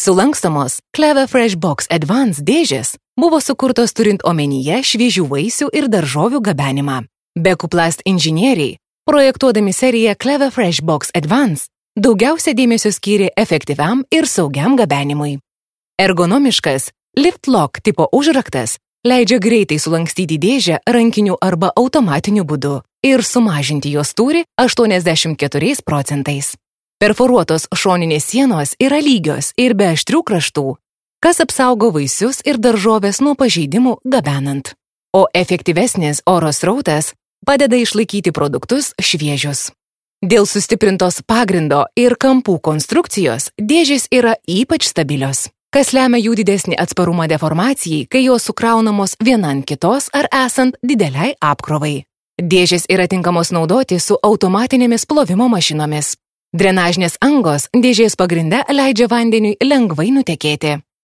Sulankstomos Clever Fresh Box Advance dėžės buvo sukurtos turint omenyje šviežių vaisių ir daržovių gabenimą. Bekuplast inžinieriai, projektuodami seriją Clever Fresh Box Advance, daugiausia dėmesio skyrė efektyviam ir saugiam gabenimui. Ergonomiškas Lift Lock tipo užraktas leidžia greitai sulankstyti dėžę rankiniu arba automatiniu būdu ir sumažinti jos tūrį 84%. Perforuotos šoninės sienos yra lygios ir be aštrių kraštų, kas apsaugo vaisius ir daržovės nuo pažeidimų gabenant. O efektyvesnis oro srautas padeda išlaikyti produktus šviežius. Dėl sustiprintos pagrindo ir kampų konstrukcijos dėžės yra ypač stabilios, kas lemia jų didesnį atsparumą deformacijai, kai jos sukraunamos viena ant kitos ar esant dideliai apkrovai. Dėžės yra tinkamos naudoti su automatinėmis plovimo mašinomis. Drenažinės angos dėžės pagrinde leidžia vandeniui lengvai nutekėti.